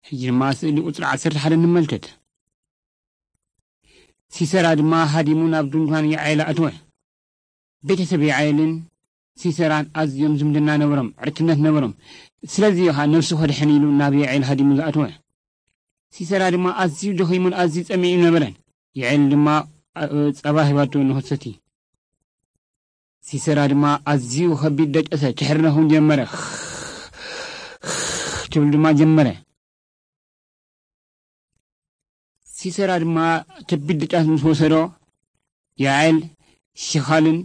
ሕጂ ድማ ስእሊ ቁጽሪ ዓሰርተ ሓደ ንመልከት። ሲሰራ ድማ ሃዲሙ ናብ ድንኳን የዓይል ኣተወ። ቤተሰብ የዓይልን ሲሰራን ኣዝዮም ዝምድና ነበሮም፣ ዕርክነት ነበሮም። ስለዚ እዩ ኸኣ ነፍሱ ከድሕን ኢሉ ናብ የዓይል ሃዲሙ ዝኣተወ። ሲሰራ ድማ ኣዝዩ ደኺሙን ኣዝዩ ጸሚኡ ነበረ። የዓይል ድማ ጸባ ሂባቶ ንኸሰቲ። ሲሰራ ድማ ኣዝዩ ከቢድ ደቀሰ፣ ክሕርነኹን ጀመረ። ትብል ድማ ጀመረ። ሲሰራ ድማ ከቢድ ደቀስ ምስ ወሰዶ፣ የዓይል ሽኻልን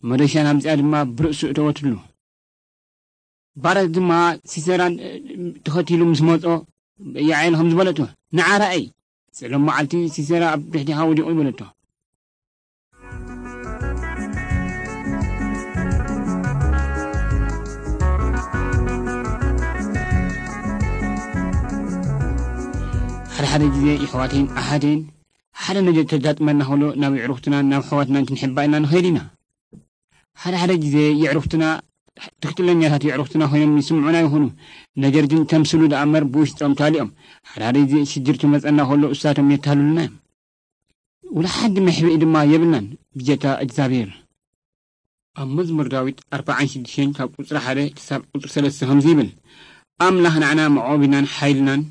መዶሻን ኣምጺኣ ድማ ብርእሱ እተወትሉ። ባረክ ድማ ሲሰራን ተኸቲሉ ምስ መጾ፣ የዓይል ከም ዝበለቶ፣ "ንዓ ረኣይ፣ ጸሎም መዓልቲ ሲሰራ ኣብ ድሕሪኻ ወዲቑ" ይበለቶ። ሓደ ሓደ ግዜ ይሕዋተይን ኣሓተይን ሓደ ነገር ተጋጥመና ከሎ ናብ የዕሩኽትናን ናብ ኣሕዋትናን ክንሕባ ኢልና ንኸይድ ኢና። ሓደ ሓደ ግዜ የዕሩኽትና ትክክለኛታት የዕሩኽትና ኮይኖም ይስምዑና ይኹኑ፣ ነገር ግን ከምስሉ ደኣ እምበር ብውሽጦም ታሊኦም። ሓደ ሓደ ግዜ ሽግር ክመጸና ከሎ እሳቶም የታልሉና እዮም። ወላሓንቲ መሕብኢ ድማ የብልናን ብጀካ እግዚኣብሔር። ኣብ መዝሙር ዳዊት ኣርባዓን ሽዱሽተን ካብ ቁጽሪ ሓደ ክሳብ ቁጽሪ ሰለስተ ከምዚ ይብል፣ ኣምላኽ ንዓና መዕቆቢናን ሓይልናን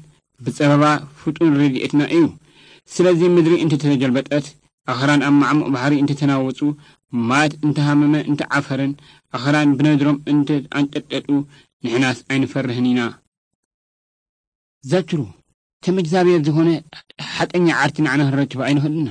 ብጸበባ ፍጡን ረድኤትና እዩ። ስለዚ ምድሪ እንተተገልበጠት፣ ኣኽራን ኣብ ማዕሙቕ ባሕሪ እንተተናወጹ፣ ማያት እንተሃመመ እንተዓፈረን፣ ኣኽራን ብነድሮም እንተኣንቀጥቀጡ፣ ንሕናስ ኣይንፈርህን ኢና። ዘክሩ፣ ከም እግዚኣብሔር ዝኾነ ሓቀኛ ዓርቲ ንዓና ክንረክብ ኣይንኽእልና።